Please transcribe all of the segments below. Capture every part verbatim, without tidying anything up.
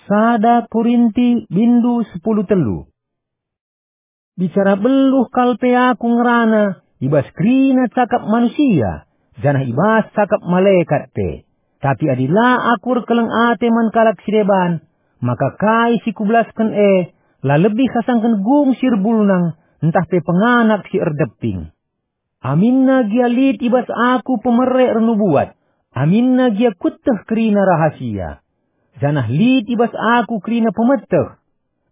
Sada Korinti bindu sepuluh telu. Bicara beluh kal pe aku ngerana i bas kerina cakap manusia, janah i bas cakap malekat pe. Tapi adi la aku erkeleng ate man kalak si deban, maka kai si kubelasken e la lebih asangken gung si erbulnang ntah pe penganak si erdeping. Aminna gia lit i bas aku pemere ernubuat, aminna gia kueteh kerina rahasia. Janah lit i bas aku kerina pemeteh.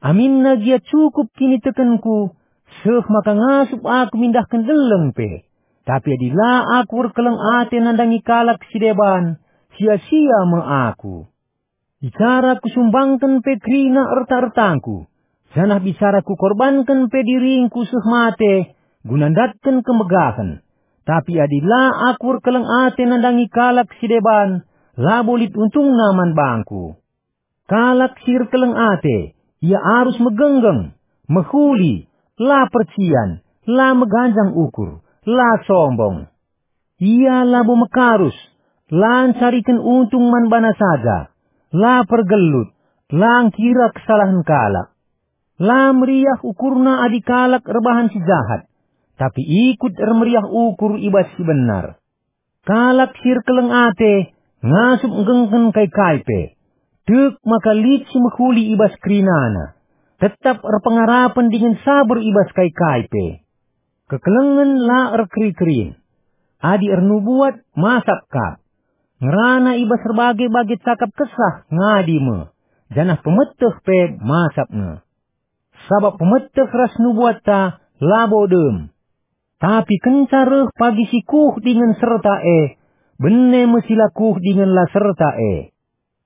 Aminna gia cukup kinitekenku, seh maka ngasup aku mindahken deleng pe. Tapi adi la aku erkeleng ate nandangi kalak si deban, sia-sia me aku. Bicara kusumbangken pe kerina erta-ertangku, janah bicara kukorbanken pe diringku seh mate guna ndatken kemegahen. Tapi adi la aku erkeleng ate nandangi kalak si deban, labo lit untungna man bangku. Kalak si erkeleng ate, ia arus megenggeng, mehuli, la percian, la meganjang ukur, la sombong. Ia labo mekarus, la ncariken untung man bana saja, la pergelut, la ngkira kesalahen kalak. La meriah ukurna adi kalak erbahan si jahat, tapi ikut ermeriah ukur i bas si benar. Kalak si erkeleng ate ngasup nggengken kai-kai pe. Tek maka lit si mehuli i bas kerinana. Tetap erpengarapen dingen saber i bas kai-kai pe. Kekelengen la erkeri-kerin. Adi ernubuat, masap kap. Ngerana i bas erbage-bage cakap kesah, ngadi me, janah pemeteh pe masap nge. Sabap pemeteh ras nubuatta labo dem. Tapi kenca reh pagi si kuh dingen serta e, bene me si la kuh dingen la serta e.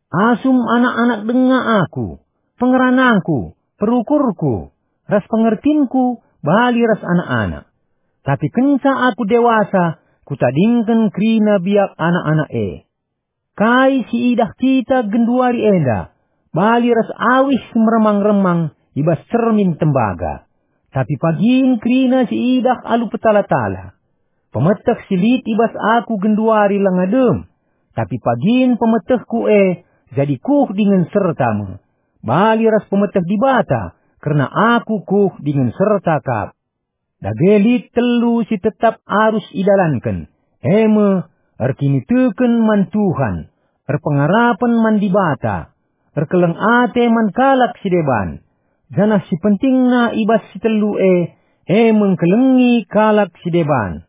Asum anak-anak denga aku, pengeranangku, perukurku, ras pengertinku bali ras anak-anak. Tapi kenca aku dewasa, kutadingken kerina biak anak-anak e. Kai si idah kita genduari enda, bali ras awih si meremang-remang i bas cermin tembaga. Tapi pagin kerina si idah alu petala-tala. Pemeteh si lit i bas aku genduari langa dem, tapi pagin pemetehku e jadi kuh dingen serta me, bali ras pemeteh Dibata, kerna aku kuh dingen serta kap. Dage lit telu si tetap arus idalanken, e me, erkiniteken man Tuhan, erpengarapen man Dibata, erkeleng ate man kalak si deban, janah si pentingna i bas si telu e, e me ngkelengi kalak si deban.